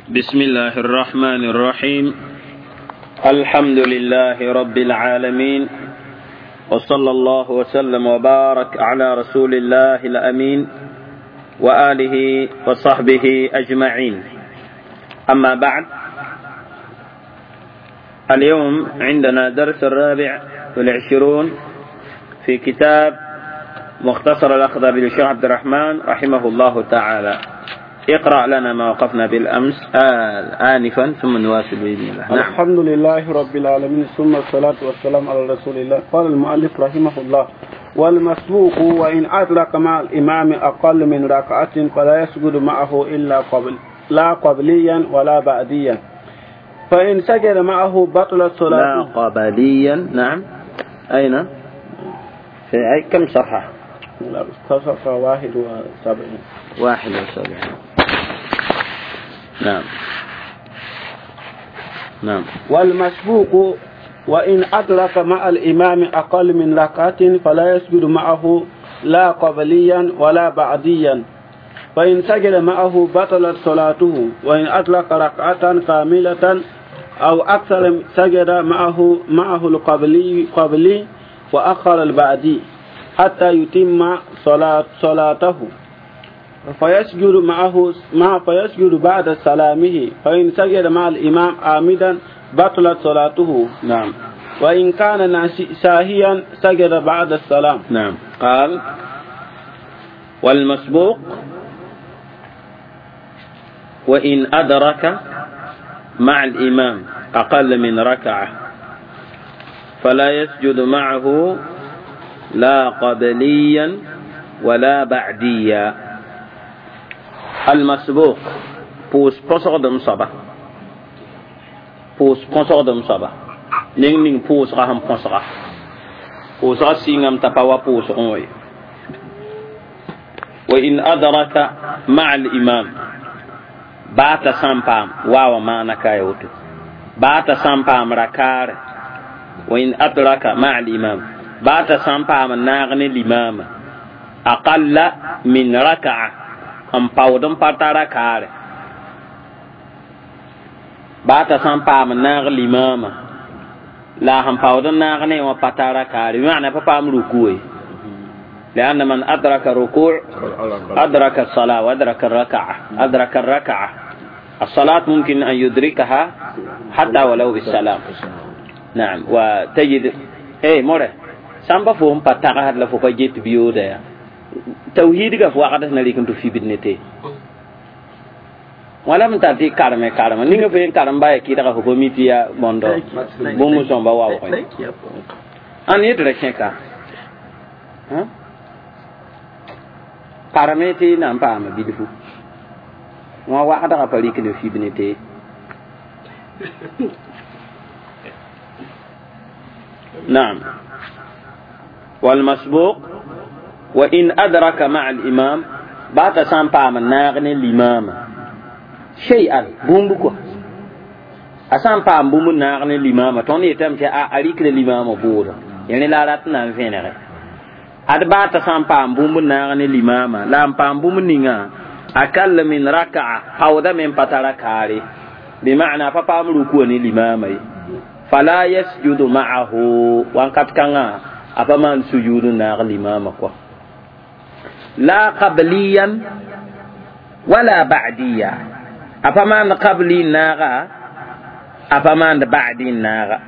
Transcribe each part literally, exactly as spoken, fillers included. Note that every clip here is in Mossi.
بسم الله الرحمن الرحيم الحمد لله رب العالمين وصلى الله وسلم وبارك على رسول الله الأمين وآله وصحبه أجمعين أما بعد اليوم عندنا درس الرابع والعشرون في كتاب مختصر الأخضر للشيخ عبد الرحمن رحمه الله تعالى. اقرأ لنا ما وقفنا بالأمس آه آنفا ثم نواصل بإذن الله. نعم. الحمد لله رب العالمين، ثم الصلاة والسلام على رسول الله. قال المؤلف رحمه الله: والمسبوق وإن أدرك مع الإمام أقل من ركعة فلا يسجد معه إلا قبل لا قبليا ولا بعديا، فإن سجد معه بطلت صلاته. لا قبليا، نعم. أين؟ في أي كم صفحة؟ لا، صفحة واحد وسبعين. واحد وسبعين. نعم. نعم. والمسبوق وإن أدرك مع الإمام أقل من ركعة فلا يسجد معه لا قبليا ولا بعديا، فإن سجد معه بطلت صلاته، وإن أدرك ركعة كاملة أو أكثر سجد معه معه القبلي قبلي وأخر البعدي حتى يتم صلاة صلاته، فيسجد معه مع فيسجد بعد سلامه، فإن سجد مع الإمام عامدا بطلت صلاته. نعم. وإن كان ساهيا سجد بعد السلام. نعم. قال: والمسبوق وإن أدرك مع الإمام أقل من ركعة فلا يسجد معه لا قبليا ولا بعديا. المسبوق بوس بوسغدم صبا بوس بوسغدم صبا نين نين بوس غهم بوسغا بوس غسينغم تباوا بوس غوي. وإن أدرك مع الإمام بات سامبام واو ما نكايوتو بات سامبام ركار. وإن أدرك مع الإمام بات سامبام ناغني الإمام أقل من ركعة n paood n pa tara kaare baata sãn paam naag limaama la sẽn paood n naag ne wã pa tara kaare bɩ pa paam ruku ye لأن من أدرك الركوع أدرك الصلاة وأدرك الركعة أدرك الركعة الصلاة ممكن أن يدركها حتى ولو بالسلام. نعم. وتجد إيه مره سامبا فهم بتاعها لفوق جيت بيودا توحيد ga fo wakatas na likin to fi bidnete wala mun tati karme karme ninga fe karam ba ki daga ko mitiya bondo bomu somba wa ko an yedra cheka ha karme ti na pa ma bidfu wa wa daga pali ki fi bidnete. نعم. والمسبوق وإن أدرك مع الإمام بات سامبا من ناغني الإمام شيئا بومبكو أسامبا بوم ناغني الإمام توني يتم تي أريك الإمام بورا يعني لا راتنا فينه أد بات سامبا بوم ناغني الإمام لا بام بوم نينا أقل من ركعة أو ده من بتركاري بمعنى فبام ركوني الإمام فلا يسجد معه وان قد كان أفمان سجود ناغ الإمام كو لا قبليا ولا بعديا أفمان قبلي ناغا أفمان بعدي ناغا.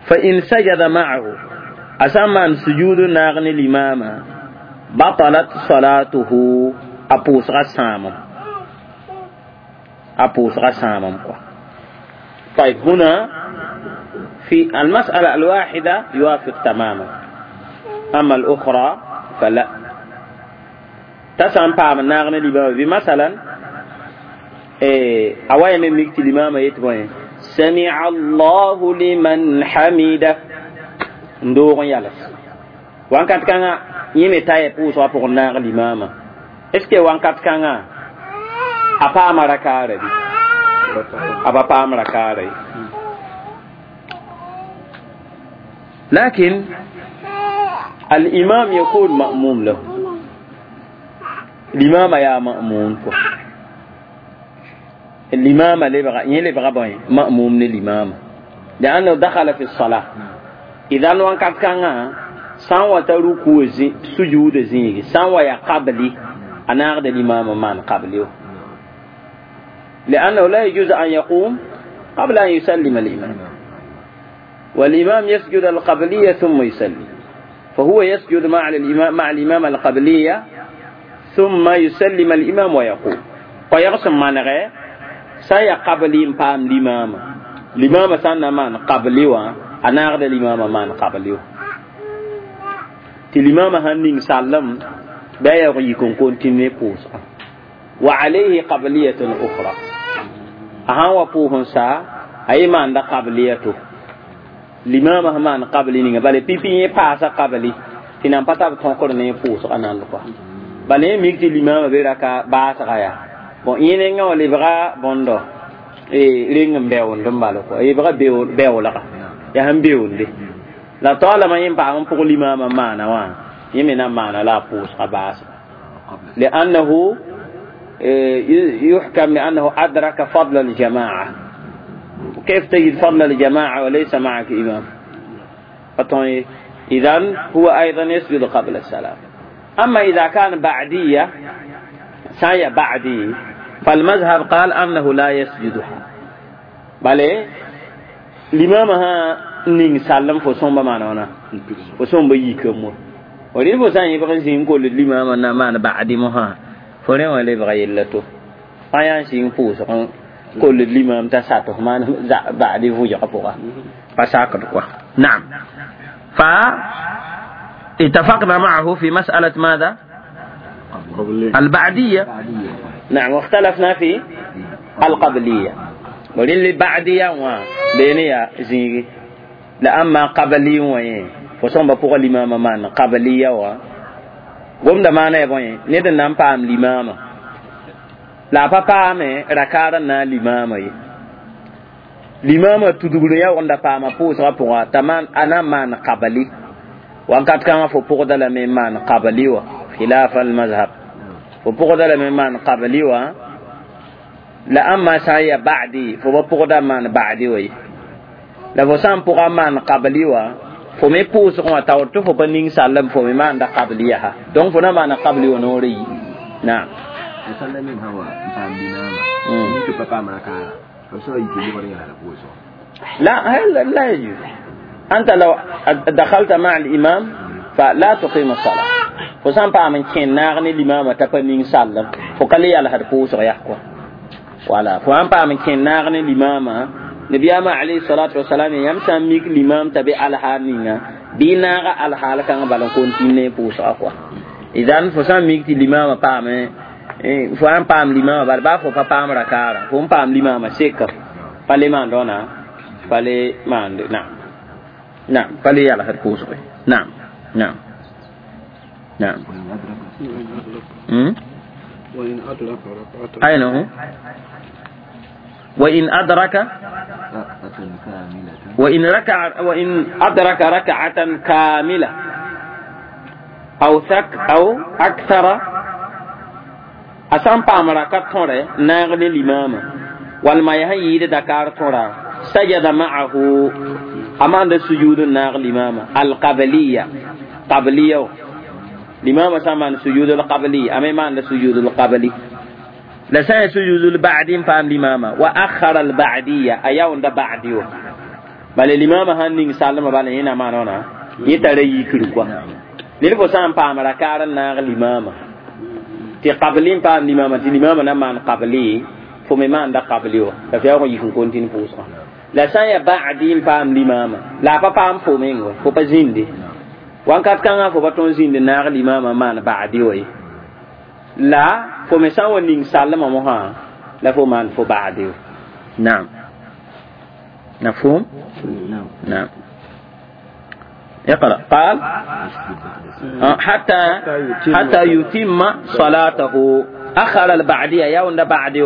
فإن سجد معه أسمان سجود ناغني الإمام بطلت صلاته أبوس غسامم أبوس غسامم. طيب هنا في المسألة الواحدة يوافق تماما، أما الأخرى فلا. تسام بام ناغني الإمام بمثلا إيه أوين ميكت الإمام يتبعين سمع الله لمن حمده ندور يالس وان كانت كان يمي تاي بوس وابور ناغ الإمام اسكي وان كانت كان أبا مركاري أبا بام ركاري. لكن الإمام يكون مأموم له. الإمام يا مأمون كو الإمام لبغى يلبغى بوين مأموم للإمام لأنه دخل في الصلاة إذا وان كات كان سان وتركو سجود زيني سان ويا قبلي أنا أخذ الإمام مان قبلي لأنه لا يجوز أن يقوم قبل أن يسلم الإمام والإمام يسجد القبلية ثم يسلم فهو يسجد مع الإمام مع الإمام القبلية ثم يسلم الإمام ويقوم ويقسم ما نغير سيا قبلي بام الإمام الإمام سنة مان قبلي أنا أخذ الإمام مان قبلي الإمام هنين سلم بيا يكون كونتيني بوس وعليه قبلية أخرى أها وبوهن سا أي مان دا قبليته الإمام همان قبلي نيجا بل بيبي يباس قبلي تنام بتاب تنكر نيجا بوس أنا لقى بل يميك الإمام بيركا باس غيا bon yẽnengã wã lebga bõndo reng n beoond n bala kɔa lebga beoolga yaa sẽn beoonde la taoolame yẽ paam n pʋg limaamã maana wã yẽ me na maana la a pʋʋsga baasga لأنه يحكم لأنه أدرك فضل الجماعة وكيف تجد فضل الجماعة وليس معك إمام إذن هو أيضا يسجد قبل السلام أما إذا كان بعدية سايا بعدي فالمذهب قال أنه لا يسجدها بل الإمام نين سلم فصوم بمعنى فصوم بيكم ولين فصان يبغى يقول الإمام أن ما بعدي مها فلين ولا يبغى يلته أيان شيء فوس كل الإمام تساته ما بعدي فوج قفوه فساكر نعم فاتفقنا معه في مسألة ماذا؟ البعدية نعم واختلفنا في القبلية وللي بعدية بينيا زيغي لا أما قبلي وين فصوم بقول الإمام مان قبلية و قوم دمانا يبوين ندن نام بام الإمام لا بابا مي ركارنا الإمام الإمام تدغلو يا وندا بام بوس رابوا تمان أنا مان قبلي وانكات كان فو بوغدا لمن مان قبلي و خلاف المذهب فبغض لمن مان قبلي و لا أما سايا بعدي فبغض من بعدي وي لا فسام بغض من قبلي و فمي بوس كما تاورتو فبنين سالم فمي مان دا قبليها دون فنا مان قبلي ونوري نعم سلم هو لا لا يجوز أنت لو دخلت مع الإمام فلا تقيم الصلاة فسان pa man kẽn naag ne limama t'a pa ning sallem fo ka le yalsd pʋʋsg yaa kɔa wala fo sãn paam n kẽn naag ne limama nabiyaamã alayhi salatu wasalam yãmb sã n mik limam t'a be alhaal ninga bɩ naaga alhaal kãngã bala n kontine ne pʋʋsga kɔa idan fo sã n mik tɩ limama paame fo sãn paam limama bala baa fo pa paam rakaarã fo n paam limama seka pa le maan rõna pa le maande naam naam pa le yalsd pʋʋsge naam naam نعم وإن أدرك ركعة أين هو؟ وإن أدرك وإن ركع وإن أدرك ركعة كاملة أو ثك أو أكثر أسام بامركة توري ناغل الإمام والما يهيد دكار تورا سجد معه أمان السجود ناغل الإمام القبلية قبلية الإمام سامان سجود القبلي أما ما سجود القبلي لسان سجود البعدي فهم الإمام وأخر البعدية أيون ده بعديو بل الإمام هنين سالم بل هنا ما نونا يتري يكروا للفو سام فهم ركار ناغ الإمام تي قبلين فهم الإمام تي الإمام نمان قبلي فمي ما عند قبليو ففي أول يكون كونتين فوسا لسان يبعدين فهم الإمام لا فهم فومينغو فبزيندي wankat kãngã fo pa tõe n zĩnd naag limaamã maan ba'di wa ye la fo me sã n wa ning sallmã mosã la fo maan fo ba'di naam مفهوم؟ نعم اقرأ قال حتى حتى يتم صلاته أخر البعدية يوم بعدي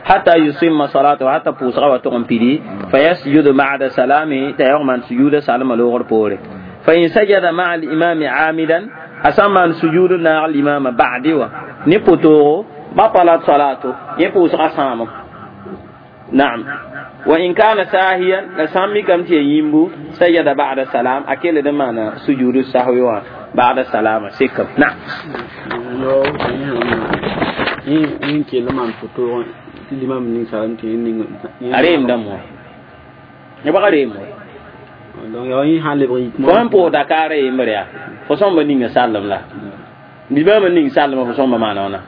حتى يتم صلاته حتى بوسغا وتقوم بيدي فيسجد بعد سلامه تيوم سجود سلام لوغر بوري فإن سجد مع الإمام عامدا A sã n maan sujuud naag limaamã ba'di wã ne pʋtoogo, batalat salato, yẽ pʋʋsgã sãamem. Naam. Wa in kana sahiyan, la sã n mikame tɩ ya yĩmbu, sajada ba'da salam, a kell d n maana sujuud sahwi wã ba'da salama sekam. Naam. Yẽ kell n maan pʋtoog tɩ limam ning salam tɩ ning. A reem dãmb wã ne bag reem wã. Donc yaa yẽ sã lebg yik. Fo sẽn pʋʋs dakaarã yembre yaa fo sõmba ninga sallem la limaamã ning sallema fo sõmba maana wãna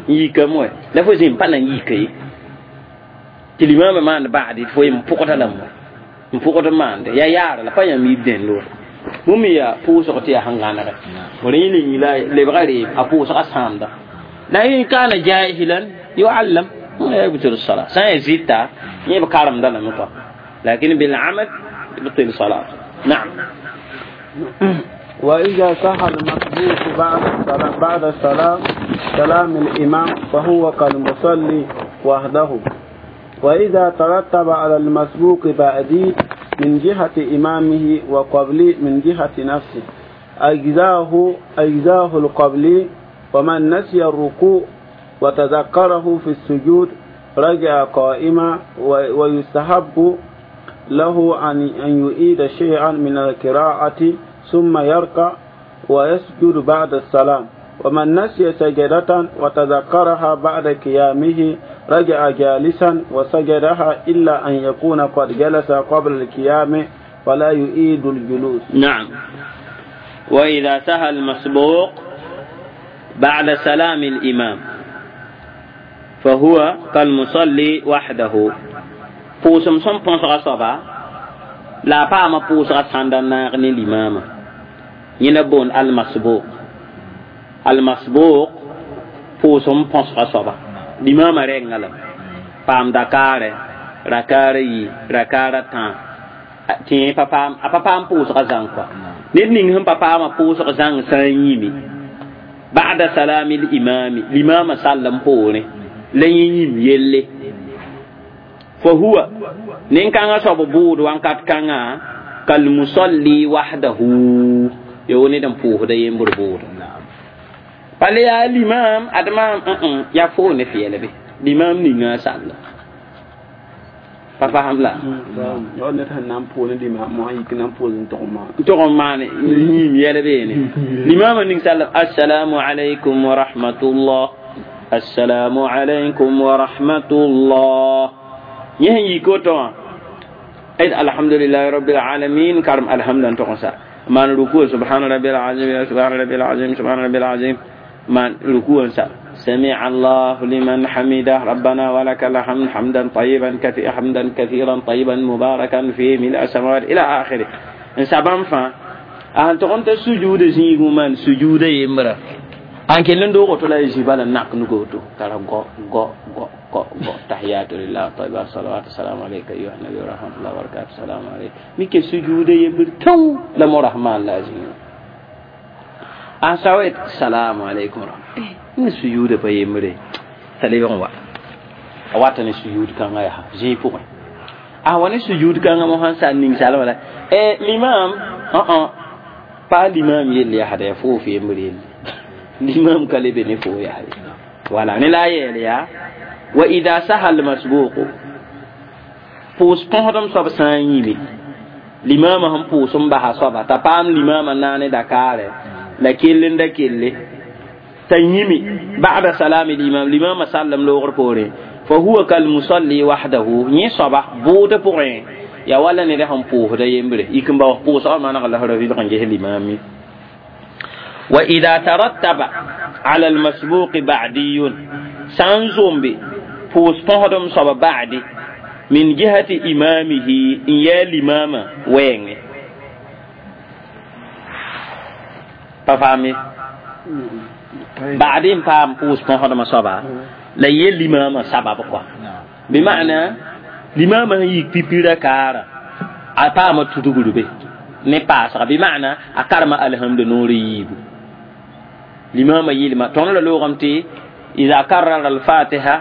n yikame wɛ la fo zĩm pa na n yika ye tɩ limaamã maand ba'di fo yem pʋgda lame wɛ n pʋgd n maande yaa yaara la pa yãmb yib dẽnd wa bũmb yaa pʋʋsg tɩ yaa sẽn gãnege wala yẽ ning la lebga reem a pʋʋsga sãamda la in kana jahilan yuallam يبطل الصلاة sã n yaa zɩta yẽ b karemda lame kɔa lakin بالعمد يبطل الصلاة. نعم. وإذا سها المسبوق بعد السلام بعد السلام سلام الإمام فهو كالمصلي وحده. وإذا ترتب على المسبوق بعدي من جهة إمامه وقبلي من جهة نفسه أجزاه أجزاه القبلي. ومن نسي الركوع وتذكره في السجود رجع قائما، ويستحب له أن أن يعيد شيئا من القراءة ثم يركع ويسجد بعد السلام. ومن نسي سجدة وتذكرها بعد قيامه رجع جالسا وسجدها إلا أن يكون قد جلس قبل القيام فلا يعيد الجلوس. نعم. وإذا سها المسبوق بعد سلام الإمام فهو كالمصلي وحده. Pʋʋsem sẽn põsga soaba la a paama pʋʋsga sãnda naag ne limaamã yẽna boond almasbuq. Almasbuq pʋʋsem põsga soaba limaamã rɛngã lame paam dakaarɛ rakaara yi rakaara tã tɩ yẽ pa paam a pa paam pʋʋsga zãng kɔa ned ning sẽn pa paama pʋʋsg zãng sã n yĩme ba'da salami limami limaamã sall n poorẽ la yẽ yĩm yelle فهو نين صوب بود وان كات كanga كالمصلي وحده يوني دم فوه دا يمبر بود pale ya limam adama ya fo ne fiele be limam ni nga sall pa faham la yo ne tan nan po ne limam mo yik nan po n tog ma tog ma ne yim yele be ne limam ning sall assalamu alaykum wa rahmatullah assalamu alaykum wa rahmatullah yẽ sẽn yik woto wã d alhamdulilahi rabbil alamin karem alhamda n tog n sa maan ruku subhana rabbil azim subhana rabbil azim subhana rabbil azim maan ruku n sa سمع الله لمن حمده ربنا ولك الحمد حمدا طيبا كثيرا حمدا كثيرا طيبا مباركا فيه ملء السماوات الى اخره ان سبام فا ان تقوم تسجود زيغو من سجود يمرا an kellen dogo to la jibala nak nugo to kala go go go go go tahiyatu lillah tayyiba salawatu salamu alayka ayyuha nabi wa rahmatullahi wa barakatuh salamu alayka mike sujude yembir taw la mo rahman lazim an sawet salamu alaykum ni sujude pa yembre tale yon wa a wata ne sujud kan ga ha ji pu a wani sujud kan ga mo han sa ning salama la e l'imam uh uh pa l'imam yelle ya hada ya fo fi yembre yelle l'imam kale be ne fo ya wala ne la yele ya wa idha sahal masbuq pʋʋs põsdem soab sã n yĩme limaamã sẽn pʋʋs n basa soaba t'a paam limaamã naane dakaarɛ la kell n da kelle t'a yĩme ba'da salami limam limaamã sallem loogr poorẽ fa huwa kalmusalli wahdahu yẽ soaba bʋʋdã pʋgẽ yaa wala ned sẽn pʋʋsda yembre yik n baoos pʋʋsgã maneg la ra vɩlg n ges limaame. وإذا ترتب على المسبوق بعدي سانزومبي پوس پهدم صب بعدي من جهة إمامه إن يا الإمام وين ففهمي بعدين فهم پوس پهدم صب لا يا الإمام سبب كوا بمعنى الإمام يكبيرا كارا أفهم تدغلو به ne paasga bi ma'na a karma alhamdu noor yiibu limama yilma tõnd la loogame tɩ ida karrara alfatiha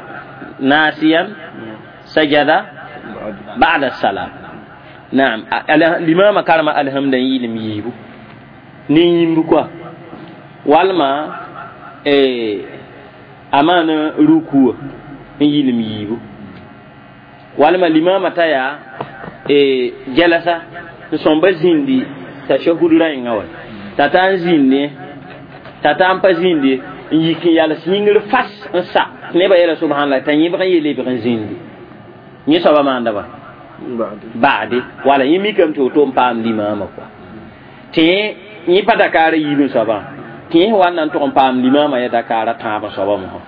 nasiyan sajada ba'da salam naam limama karma alhamda n yɩlem yiibu ne yĩmb kɔa Walma eh amana ruku n yilim yiibu walma limama ta yaa eh jalasa n sõmba zĩndi tashahud rãenga wa t'a ta n zĩndi t'a ta n pa zĩndi n yik n yals yĩngr fas n sa nebã yeela subhanallah t'a yẽbg n yeel lebg n zĩndi yẽ soaba maanda ba ba'di wala yẽ mikame tɩ woto n paam limaamã kɔa tɩ yẽ pa dakaara yiib n soabã tɩ yẽ wa n na n tʋg n paam limaamã ya dakaara tãab n soaba mosã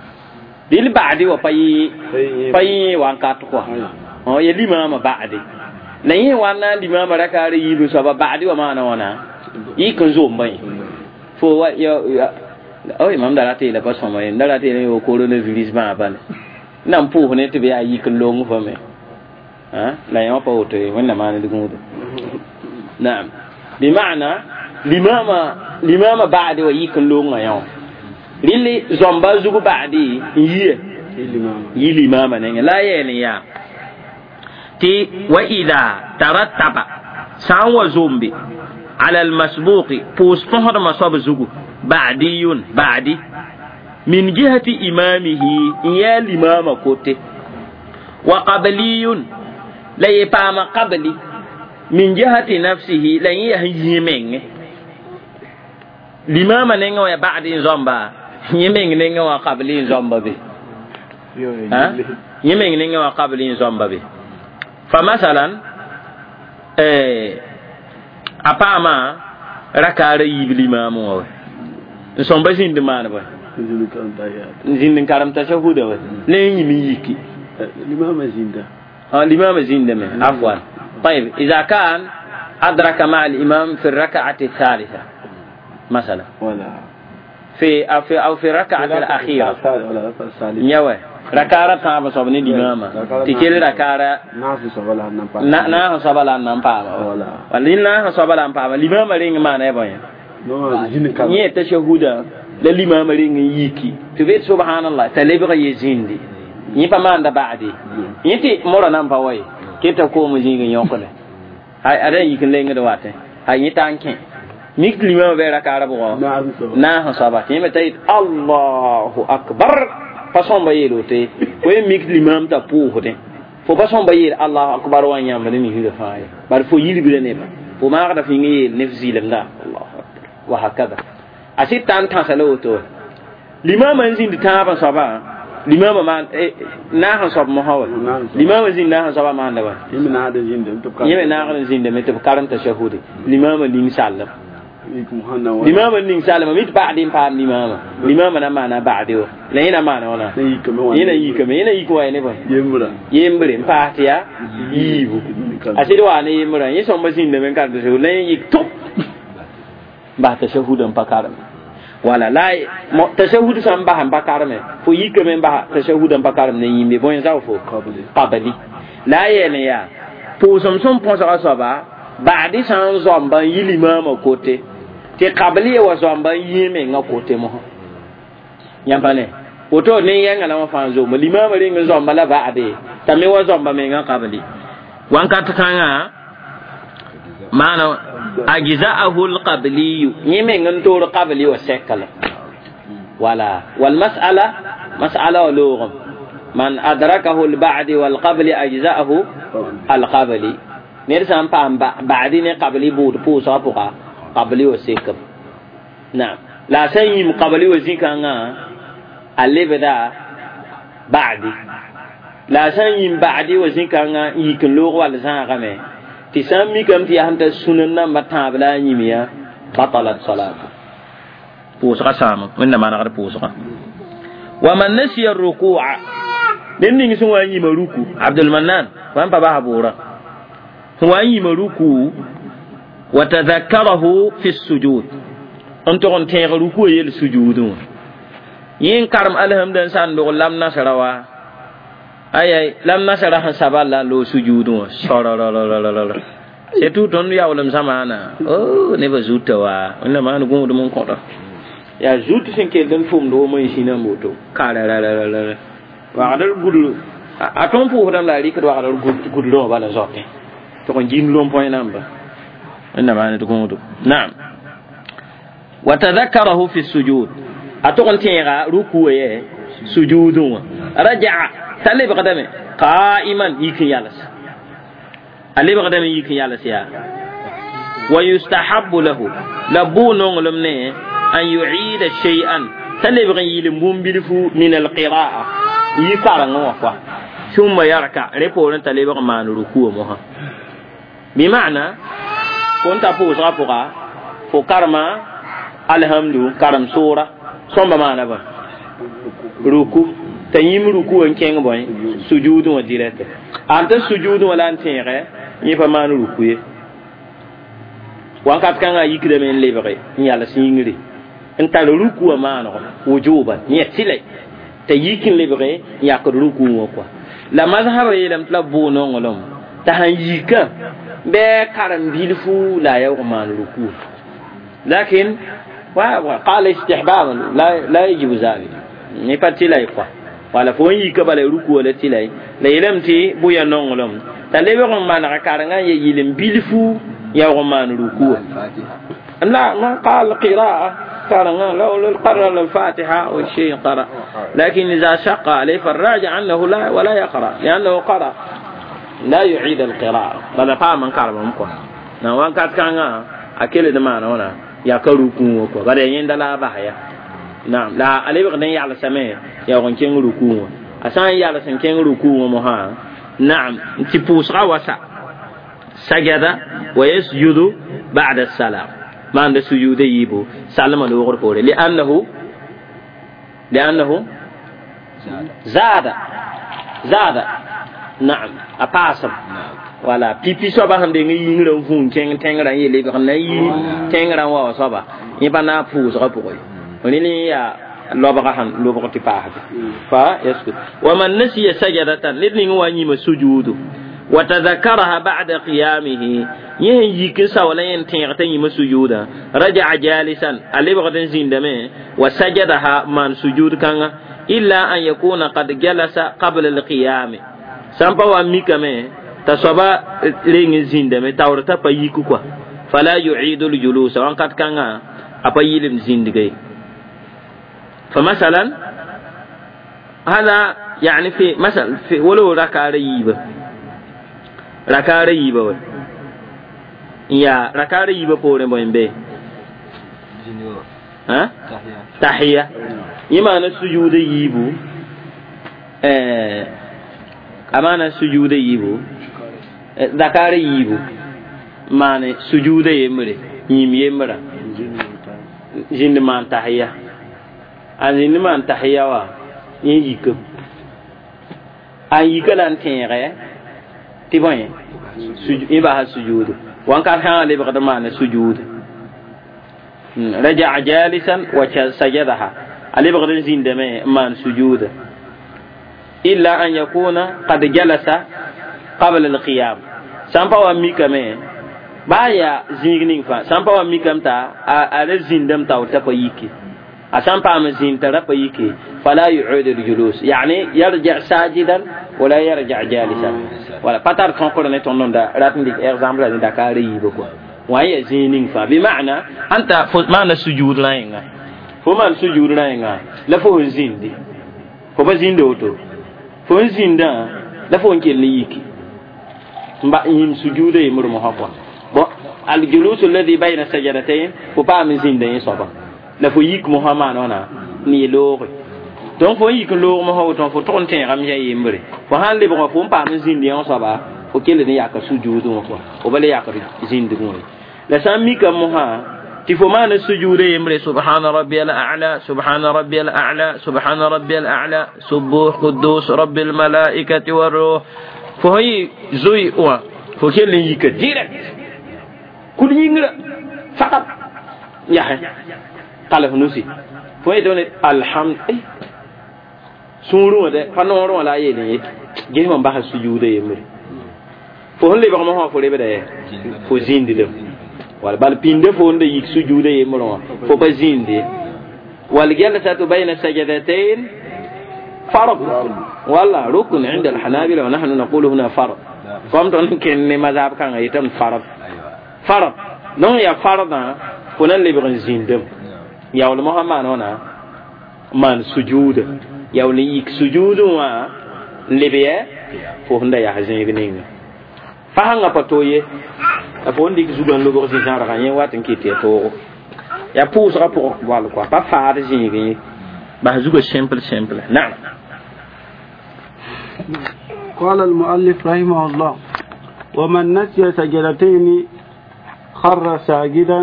dɩl ba'di wa pa yẽ pa yẽ wankat kɔa ya limaamã ba'di la yẽ wa n na n limaamã rakaara yiib n soaba ba'di wa maana wãna yik n zomba yẽ fo wa ya oy mam da rat yeela pa sõma ye n da rat yeela yo coronavirus bãa bale na n pʋʋs ne tɩ b yaa yik n long fo me la yẽ wã pa woto ye wẽnnaam maan d gũudo naam bima'na limama limama ba'di wa yik n longa yã wã rɩl zõmba zug ba'di n yie yi limama nengẽ la a yeel n yaa tɩ wa ida tarattaba sã n wa zombe ala almasbuqi pʋʋs põsdmã soab zugu ba'diyun ba'di min jihati imamihi n yaa limama kote wa qabliyun la ye paama qabli min jihati nafsihi la yẽ yaa sẽn yĩ menge limama nengẽ wã ya ba'di n zõmba yẽ meng nengẽ wã qabli n zõmba be yẽ meng nengẽ wã qabli n zõmba be fa masalan a paama rakaara yiib limaamã wã wa n sõmba zĩnd maan bõe n zĩnd n karem tashahuda wa la yẽ yĩm n yiki limama zĩnda limama zĩnda me afwan طيب إذا كان أدرك مع الإمام في الركعة الثالثة مثلا ولا في أو في أو في الركعة الأخيرة نيوه ركعة تام صبني الإمام تكيل ركعة ناس صبلا نامبا ولا ولا ناس صبلا نامبا الإمام رينغ ما نبغي نيه تشهودا للإمام رينغ يكي تبيت سبحان الله تلبغي يزيندي yẽ pa maanda ba'di yẽ tɩ mora nan pa wa ye keta koom zĩig n yõkde ada n yik n lengd watẽ a yẽ t'a n kẽ mik limama bɩ rakaara bʋgɔ naas n soaba tɩ yẽ me t'a yet allahu akbar pa sõmba yeel woto ye fo yẽ mik limam t'a pʋʋsdẽ fo pa sõmba yeel allahu akbar wa n yãmb ne misrã fãa ye bari fo yilbra neba fo maagda f yĩng yeel ne f zɩlemda allahu akbar wa hakada a sɩd t'a n tãsa la woto wa limama n zĩnd tãabã soaba limama ma naas n soab mosã wa limama zĩnd naas n soaba maanda wa yẽ me naagd n zĩndame tɩ b karem tashahude limama ning sallem limama ning sallem mit ba'di n paam limama limama na maana ba'di wa la yẽ na maana wãna yẽ na yikame yẽ na yik wa ne bõe yembre n paas tɩ yaa yiibu a sɩd waa ne yembrã yẽ sõmba zĩndame n karem tashahud la yẽ yik tʋp n bas tashahud n pa kareme wala la tashahud sãn bas n pa kareme fo yikame n bas tashahud n pa karem ne yĩmbe bõe zao fo qabli la a yeel n yaa pʋʋsem sẽn põsga soaba ba'di sã n zõmba n yi limaamã kote tɩ qabli wa zõmba n yẽ mengã kote mosã yãmb pa ne woto ne yɛnga la wã fãa zomba limaamã reng n zõmba la ba'de t'a me wa zõmba mengã qabli wãnkat kãngã maana ajza'ahu alqabliyu yẽ meng n toor qabli wa sɛka la wala walmas'ala mas'ala wa loogem man adrakahu alba'di walqabli ajza'ahu alqabli ned sã n paam ba'di ne qabli buud pʋʋsgã pʋga qabli wa sekam naam la a sã n yĩm qabli wa zĩ-kãngã a lebda ba'di la a sã n yĩm ba'di wa zĩ-kãngã n yik n loog wall zãagame tɩ sã n mikame tɩ yaa sẽn ta sũnen nambã tãab la a yĩm ya batalat salatu pʋʋsgã sãama wẽnna manegd pʋʋsgã wa man nasiya rukua ned ning sẽn wa n yĩma ruku abdulmanan wa n pa basa bʋʋrã sẽn wa n yĩma ruku wa tadhakkarahu fi sujud n tʋg n tẽeg ruku wa yel sujudẽ wã yẽ n karem alhamda n sã n dog lam nasra wa ay lam nasra sẽn saba la n loog sujudẽ wã sorororororo c'est tout tõnd yaoolem zamaana o nebã zuta wa wẽnna maan gũudem n kõta yaa zut sẽn kell n tʋmd wom n zĩna n woto kararararara wagdr gudr a tõnd pʋʋsdame la a rɩkd wagdr gudrã wã bala zote tɩg n gĩnd rõm põe namba wẽnna maan d gũudo naam وتذكره في السجود أتغن تيغا ركوع سجود رجع تلب قدمه قائما يكن يالس ألب قدمه يكن يالس يا ويستحب له لبو نونغلم أن يعيد شيئا تلب غيل بومبلفو من القراءة يكارن وفا ثم يركع ريبورن تلب مان ركوع مها بمعنى كنت فوز غفقا فكرما الحمد كرم سورة ثم ما نبا ركوع تيم ركوع كين بوين سجود وديرت أنت سجود ولا أنت يفا مان ركوع wakat kanga yikde men lebre yala singri en tal ruku ma no wujuban ni tile te yikin lebre ya ko ruku ko la mazhar yelam tla bo no ngolom ta han yika be karam bilfu la yawma ruku lakin wa qala istihbab la la yajib zalik ni patila quoi wala fo yika bala ruku wala tilai la yelam ti buya no ngolom ta lebre ma na karanga ye yilim bilfu يوم ركوع لا ما قال قراءة قال لو قرأ الفاتحة والشيء قرأ لكن إذا شق عليه فالراجع أنه لا ولا يقرأ لأنه قرأ لا يعيد القراءة بل قام من قرأ ممكن نوان كات كان أكل دمان هنا يا كركوع بعد يند لا بحيا نعم لا عليه بقدر يعلى سماء يا كين ركوع أسان يعلى سن كين ركوع مها نعم تبوس غوسا سجد ويسجد بعد السلام ما عند سجود يبو سلم الوغر فوري لأنه لأنه زاد زاد نعم أباسم ولا بيبي صبا هم دين ينغرم فون كين تنغران يلي بخنا يي تنغران وا صبا يبا فوز غبوي وني يا لوبغا هم لوبغا تباه فيسجد ومن نسي سجدة لدين واني مسجود وتذكرها بعد قيامه يهن يكسا ولا ينتين يم سجودا رجع جالسا اللي بغدن زندمه وسجدها من سجود كان إلا أن يكون قد جلس قبل القيام سامبا وميكمه تصبا لين زندمه تورتا بايكو كوا فلا يعيد الجلوس وان قد كان أبا يلم زندگي فمثلا هذا يعني في مثلا في ولو ركع ريبه rakare yiba wa ya rakare yiba pore boy be ha tahiyya imana sujude yibu eh amana sujude yibu dakare yibu mane sujude yemre yim yemra jinde man tahiyya azin man tahiyya wa yin yik an yikalan tere تبين سجود إباحة السجود وان كان حالي بقدر معنى سجود رجع جالسا وسجدها علي بقدر زين دماء مان سجود إلا أن يكون قد جلس قبل القيام سامبا وميكا مي بايا زينين فا سامبا وميكا متا على زين دم تاو تبايكي أسامبا مزين ترى فلا يعود الجلوس يعني يرجع ساجدا ولا يرجع جالسا ولا باتار تنقل نتون دا راتن ديك إغزامبل دا كاري بكو وهي زينين فا بمعنى أنت معنى السجود لا ينغا فما السجود لا ينغا لا فهو زين دي فما زين دوتو فهو زين دا لا فهو كي ليكي مبا يم سجود يمر محقا الجلوس الذي بين السجدتين فبا من زين دا يصبا لا فهو يك محمد هنا ني donc fo yik loog mo ho ton fo ton ten ram ya yembre fo han le bon fo pa me zindi on soba fo kele ne yakar sujudu mo ko o bale yakar zindi mo la san mi kam mo ha ti fo ma na sujude yembre subhana rabbiyal a'la subhana rabbiyal a'la subhana rabbiyal a'la subuh quddus rabbil malaikati war ruh fo yi zui wa fo kele yik direct kul yingra faqat ya qala hunusi fo yi don alhamd sũurẽ de pa noorẽ wã la a yeelẽ ye ges mam basa sujuuda yembre fo sẽn lebg mosã fo rebda ye fo zĩndidem wala bal pĩnda fo n da yik sujuuda yembrẽ wã fo pa zĩndi والجلسة بين السجدتين فرض والله ركن عند الحنابلة ونحن نقول هنا فرض قمت أنك مذهب كان يتم فرض فرض نون يا فرض فنان لبغ زيندم Yaool mosã maan wãna maan sujuuda yaool n yik sujuudẽ wã n leb yɛ fo sẽn da yaa zẽeg ninga fasãngã pa to ye la fo n dɩk zugã n lobg zĩ-zãrgã yẽ wat n kɩt tɩ ya toogo yaa pʋʋsgã pʋgẽ bal kɔa pa faad zẽegẽ ye bas zugã simple simple naam. قال المؤلف رحمه الله ومن نسي سجدتين خر ساجدا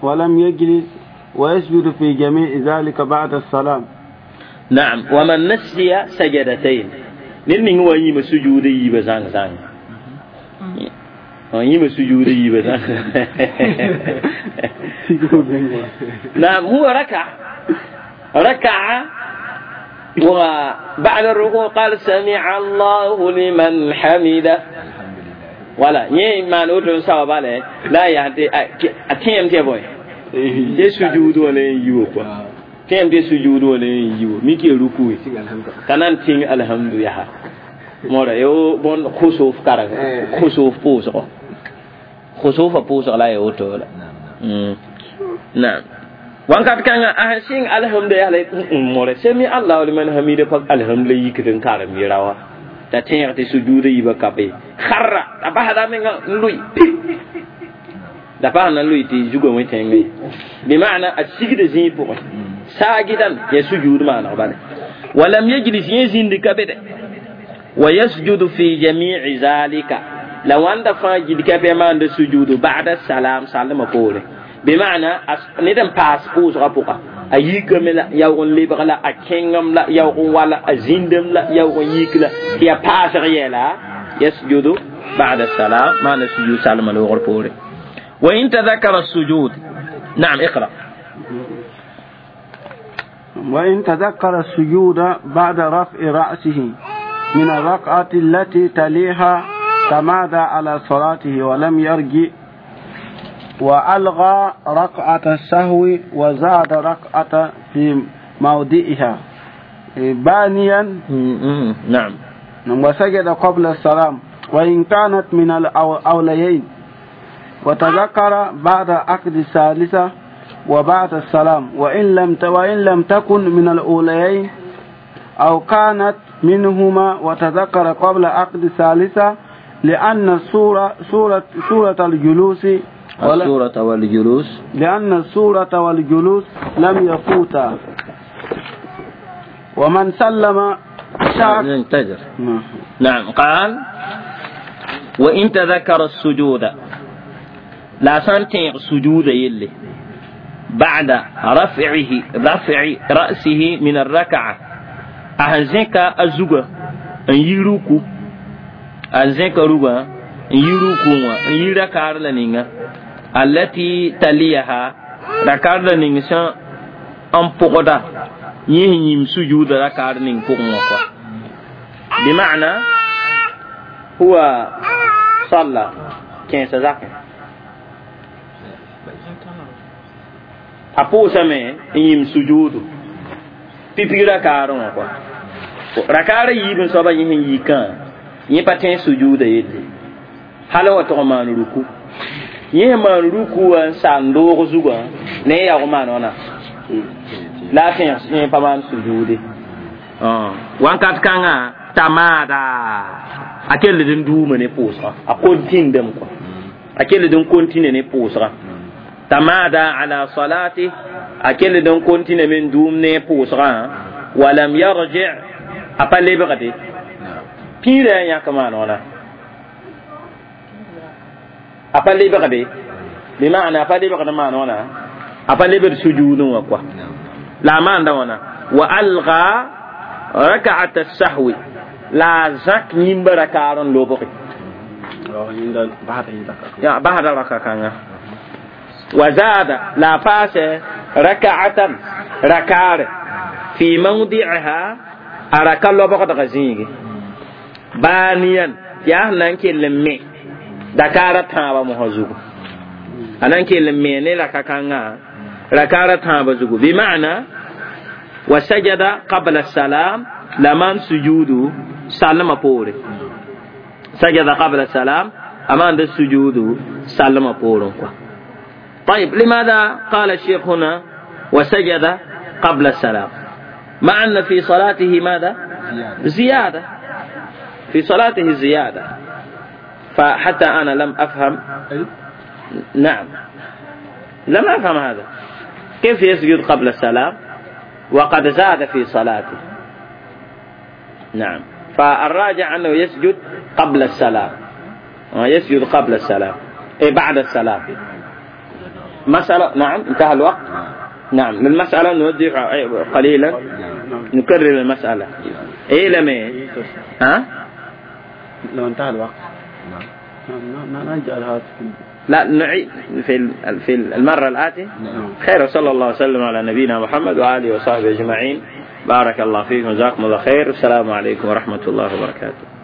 ولم يجلس ويسجد في جميع ذلك بعد السلام. نعم ومن نسي سجدتين ned ning wa yĩma sujuuda yiibã zãng zãng yĩma sujuuda yiibã zãng. نعم هو ركع ركع وبعد الركوع قال سمع الله لمن حمده ولا yẽ maan woto n saoaba la la a yaa a tẽem tɩ ya bõe tɩ sujuud wã la n yi wa kɔa tẽem tɩ sujuud wã la n yi wa mik ya ruku t'a na n tĩng alhamdu yaa mõra yo bõn khusuf kareng khusuf pʋʋsgo khusufa pʋʋsg la a ya woto la naam wakat kãngã a sẽn sɩng alhamdu yaa la mõra sami allahu liman hamida pa alhamdu la yikd n karem yera wa t'a tẽeg tɩ sujuuda yiibã ka be kharra a basda menga n lʋɩ da pa na n lʋɩ tɩ zugã wẽ tẽngã ye bima'na a sigda zĩig pʋgẽ saagidan ya sujuud maaneg bale walam yajlis yẽ zĩndi ka be dɛ wa yasjudu fi jami'i zalika la wãnda fãa gil ka bɩ maanda sujuudu ba'da salam sallmã poore bima'na ned n paas pʋʋsgã pʋga a yikame la yaoog n lebg la a kẽngem la yaoog n wala a zĩndem la yaoog n yik la tɩ ya paasg yɛla yasjudu ba'da salam maana sujud salmã loogr poore wa in tadhakara sujud naam iqra. وإن تذكر السجود بعد رفع رأسه من الركعة التي تليها تمادى على صلاته ولم يرجع وألغى ركعة السهو وزاد ركعة في موضعها بانيا نعم وسجد قبل السلام وإن كانت من الأوليين وتذكر بعد عقد الثالثة وبعد السلام وإن لم وإن لم تكن من الأوليين أو كانت منهما وتذكر قبل عقد الثالثة لأن السورة سورة سورة الجلوس السورة والجلوس لأن السورة والجلوس لم يفوتا ومن سلم شاك انتظر. نعم قال وإن تذكر السجود لا سنتين سجود يلي بعد رفعه رفع رأسه من الركعة أهزنك الزوجة أن يروكو أهزنك روبا أن يروكو أن يركار لنينا التي تليها ركار لنينا أن بقدا يهنيم سجود ركار لنين بقدا بمعنى هو صلى كين سزاك a pʋʋsame n yĩm sujuudu pipig rakaarẽ wã kɔa rakaarã yiib n soaba yẽ sẽn yikã yẽ pa tẽ sujuuda yelle hal wa tog n maan ruku yẽ sẽn maan ruku wã n sa n doog zugã ne y yaoog maan wãna la a tẽeg yẽ pa maan sujuude wãnkat kãngã t'a maada a kell d n duuma ne pʋʋsgã a kontindame kɔa a kell d n kontine ne pʋʋsgã تمادى على صلاته أكل دون كنتين من دوم نيبوسغا ولم يرجع أبا بغدي بيرا يا كمان ولا أبا بغدي بمعنى أبا بغدي ما ولا أبا بغدي سجود وقوا لا ما عندنا وألغى ركعة السهو لا زك نيمبر كارن لوبغي يا بعد ركعة وزاد لا فاس ركعة ركار في موضعها أركا لبغد غزيني بانيا يا نانكي لمي دكارة تابا مهزوغ أنانكي لمي ني ركا ركارة تابا زوغ بمعنى وسجد قبل السلام لمن سجود سلم بوري سجد قبل السلام أمان السجود سلم بوري. طيب لماذا قال الشيخ هنا وسجد قبل السلام، مع أن في صلاته ماذا؟ زيادة، في صلاته زيادة. فحتى أنا لم أفهم، نعم لم أفهم هذا، كيف يسجد قبل السلام وقد زاد في صلاته؟ نعم، فالراجع أنه يسجد قبل السلام، يسجد قبل السلام، إيه بعد السلام. مسألة، نعم انتهى الوقت. نعم المسألة نوضح قليلا، نكرر المسألة. إيه لم ها؟ لو انتهى الوقت نعم نجعل هذا، لا نعيد في في المرة الآتية. خير، صلى الله وسلم على نبينا محمد وآله وصحبه أجمعين. بارك الله فيكم، جزاكم الله خير، السلام عليكم ورحمة الله وبركاته.